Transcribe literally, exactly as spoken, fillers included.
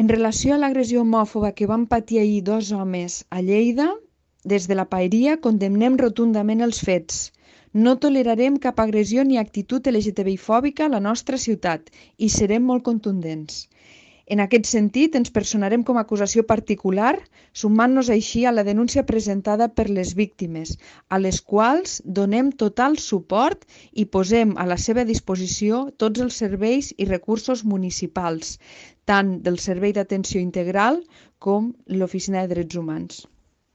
En relació a l'agressió homòfoba que van patir ahir dos homes a Lleida, des de la Paeria condemnem rotundament els fets. No tolerarem cap agressió ni actitud L G T B I fòbica a la nostra ciutat i serem molt contundents. En aquest sentit, ens personarem com a acusació particular, sumant-nos així a la denúncia presentada per les víctimes, a les quals donem total suport i posem a la seva disposició tots els serveis i recursos municipals, tant del Servei d'Atenció Integral com l'Oficina de Drets Humans.